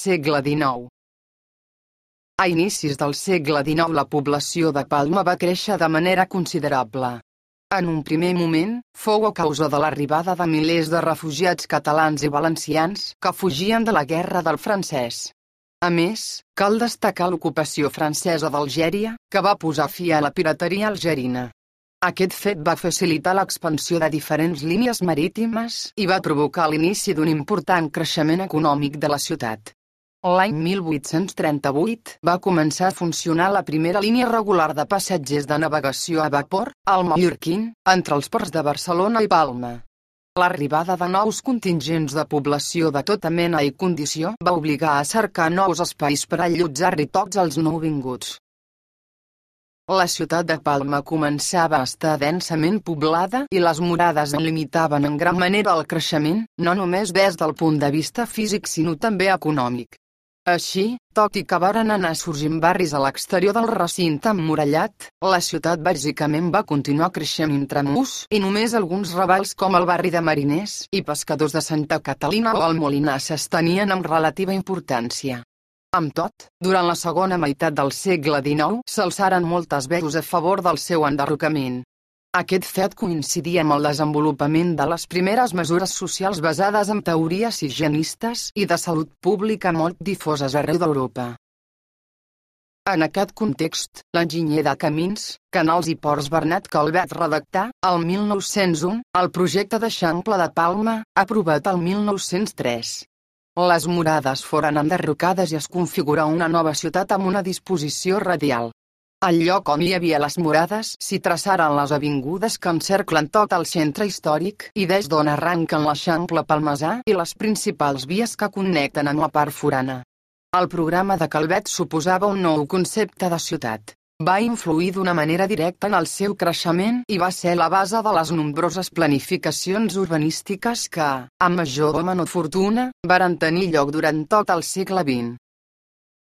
segle XIX. A inicis del segle XIX la població de Palma va créixer de manera considerable. En un primer moment, fou a causa de l'arribada de milers de refugiats catalans i valencians que fugien de la guerra del francès. A més, cal destacar l'ocupació francesa d'Algèria, que va posar fi a la pirateria algerina. Aquest fet va facilitar l'expansió de diferents línies marítimes i va provocar l'inici d'un important creixement econòmic de la ciutat. L'any 1838 va començar a funcionar la primera línia regular de passatgers de navegació a vapor, el Mallorquín, entre els ports de Barcelona i Palma. L'arribada de nous contingents de població de tota mena i condició va obligar a cercar nous espais per allotjar-hi tots els nouvinguts. La ciutat de Palma començava a estar densament poblada i les murades en limitaven en gran manera el creixement, no només des del punt de vista físic sinó també econòmic. Així, tot i que varen anar sorgint barris a l'exterior del recinte emmurallat, la ciutat bàsicament va continuar creixent intramurs i només alguns ravals com el barri de mariners i pescadors de Santa Catalina o el Molinar s'estenien amb relativa importància. Amb tot, durant la segona meitat del segle XIX s'alçaren moltes veus a favor del seu enderrocament. Aquest fet coincidia amb el desenvolupament de les primeres mesures socials basades en teories higienistes i de salut pública molt difoses arreu d'Europa. En aquest context, l'enginyer de camins, canals i ports Bernat Calvet redactà, el 1901, el projecte d'Eixample de Palma, aprovat el 1903. Les murades foren enderrocades i es configurà una nova ciutat amb una disposició radial. Al lloc on hi havia les murades s'hi traçaren les avingudes que encerclen tot el centre històric i des d'on arranquen l'Eixample palmesà i les principals vies que connecten amb la part forana. El programa de Calvet suposava un nou concepte de ciutat. Va influir d'una manera directa en el seu creixement i va ser la base de les nombroses planificacions urbanístiques que, amb major o menor fortuna, varen tenir lloc durant tot el segle XX.